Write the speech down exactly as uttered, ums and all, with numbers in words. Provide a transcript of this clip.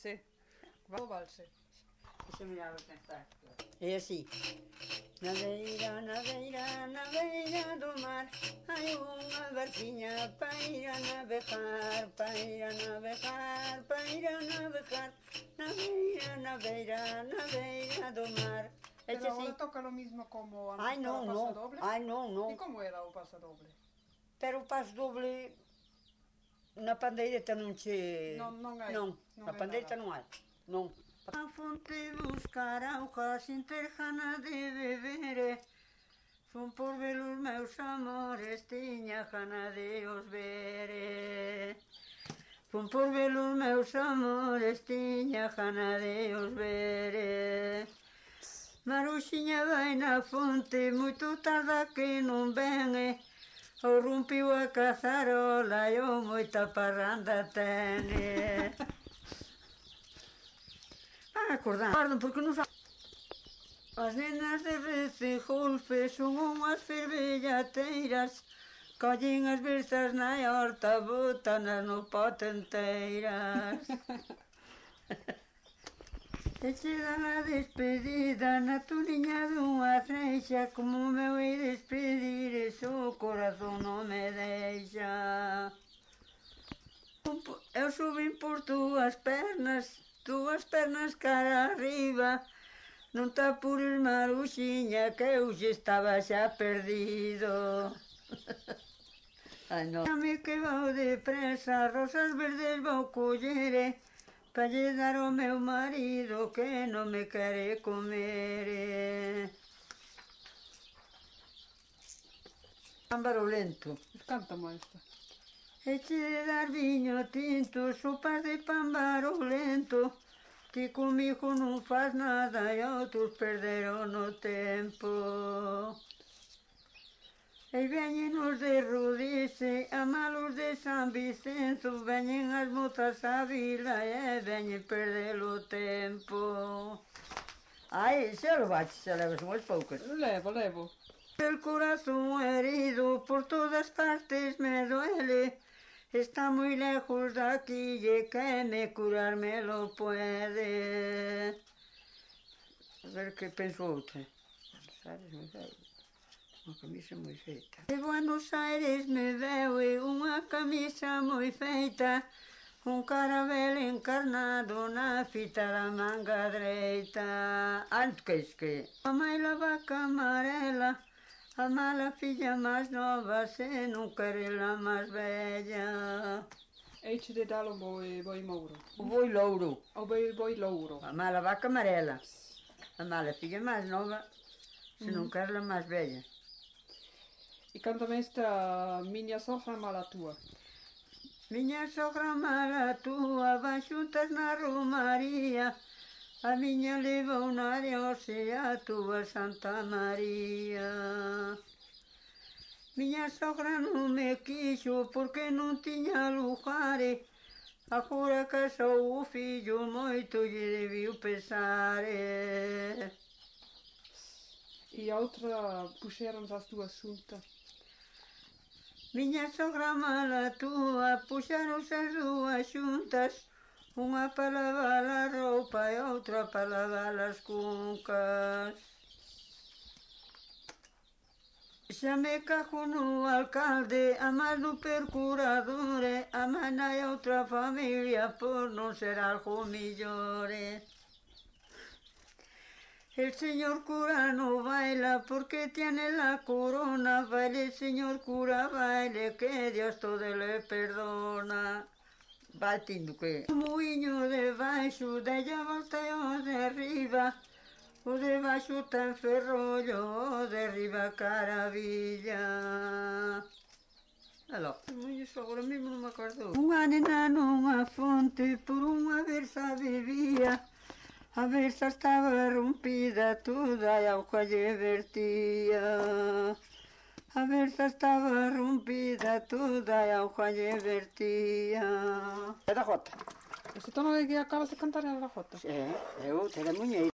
valse. O valse. Deixa-me mirar o que está. É assim. Na beira, na beira, na beira do mar, hai unha barquinha para ir a navegar, para ir a navegar, para ir a navegar, na beira, na beira, na beira do mar. É Pero assim. agora toca lo mismo como antes Ai, non, para o non. pasadoble? Ai, non, non. E como era o pasadoble? Pero o paso doble na pandeireta non che... Non, non hai. Non, Non na hai pandeireta nada. non hai. Non. A fonte buscar auga sin ter gana de beber. Son por ver os meus amores, tiña gana de os ver. Son por ver os meus amores, tiña gana de os ver. Maruxiña vai na fonte, moito tarda que non ven. O rompiu a cazarola e o moita parranda tene. Ah, acordar, porque non sabe. As nenas de Recegolfe son unhas fervellateiras, collen as versas na horta, botanas no pote enteiras. E che dan a despedida na turiña dunha freixa, como me hei despedir, eso o corazón non me deixa. Eu subín por túas pernas, túas pernas cara arriba, non te apures, Maruxiña, que eu xe estaba xa perdido. Ai, non. Dame que vou depresa, rosas verdes vou collere, pa lle dar ao meu marido que non me quere comer. Ámbaro lento. Cántamo esta. E che de dar viño tinto, sopas de pámbaro lento, ti comigo non faz nada e outros perderon o tempo. E veñen os de Rudice, a malos de San Vicenzo, veñen as mozas á vila e veñen perder o tempo. Ai, xa lo baches, xa levas unhas poucas. Levo, levo. El corazón herido por todas partes me duele, está moi lejos daqui e que me curar me lo puede. A ver que penso outra. Sabes, moi feita. Unha camisa moi feita. De Buenos Aires me veu unha camisa moi feita, un carabel encarnado na fita da manga dereita. Antes que a mai la vaca amarela, a mala filla máis nova, se non quere la máis bella. Eiche de dar o boi, boi mouro. O boi louro. O boi, boi louro. A mala vaca amarela. A mala filla máis nova, se non Mm. quere la máis bella. E cántame esta miña sogra mala túa. Miña sogra mala túa van xuntas na romaría, a miña leva unha Dios e a túa Santa María. Miña sogra non me quixo porque non tiña lugares, agora casou o fillo moito lle debiu pesar. E a outra puxeron as dúas xuntas. Miña sogra mala túa puxaronse as dúas xuntas, unha para lavar a roupa e outra para lavar as cuncas. Xa me cago no alcalde, a máis no procurador, a máis hai outra familia por non ser algo millores. El señor cura no baila porque tiene la corona, baile señor cura, baile que Dios todo le perdona. Vai tindo que... O muiño de baixo, de ella volta e o de arriba, o de baixo ten ferrollo, o de arriba caravilla. Aló, iso agora mesmo non me acordo. Unha nena nunha fonte, por unha versa bebía, a versa estaba rompida toda e a auga lle vertía. A versa estaba rompida toda e a auga lle vertía. É da jota. Ese tono de que acabas de cantar era da jota? É, é outra da muñeira.